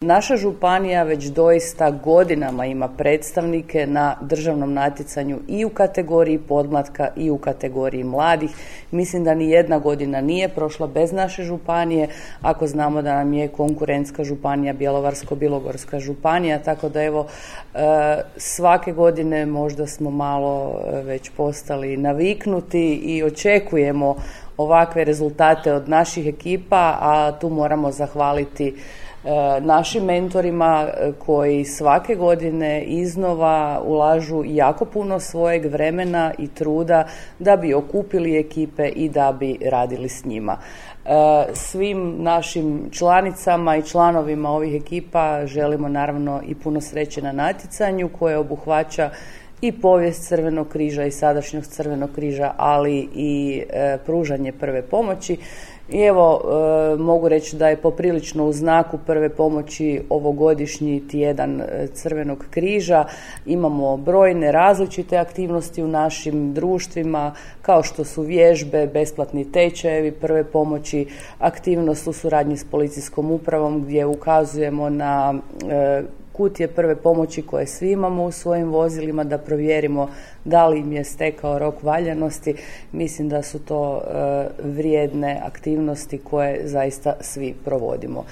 Naša županija već doista godinama ima predstavnike na državnom natjecanju i u kategoriji podmlatka i u kategoriji mladih. Mislim da ni jedna godina nije prošla bez naše županije, ako znamo da nam je konkurentska županija Bjelovarsko-bilogorska županija, tako da evo svake godine možda smo malo već postali naviknuti i očekujemo ovakve rezultate od naših ekipa, a tu moramo zahvaliti našim mentorima koji svake godine iznova ulažu jako puno svojeg vremena i truda da bi okupili ekipe i da bi radili s njima. Svim našim članicama i članovima ovih ekipa želimo naravno i puno sreće na natjecanju koje obuhvaća i povijest Crvenog križa i sadašnjost Crvenog križa, ali i pružanje prve pomoći. I evo, mogu reći da je poprilično u znaku prve pomoći ovogodišnji tjedan Crvenog križa. Imamo brojne različite aktivnosti u našim društvima, kao što su vježbe, besplatni tečajevi prve pomoći, aktivnost u suradnji s policijskom upravom gdje ukazujemo na kutije prve pomoći koje svi imamo u svojim vozilima da provjerimo da li im je stekao rok valjanosti. Mislim da su to vrijedne aktivnosti koje zaista svi provodimo.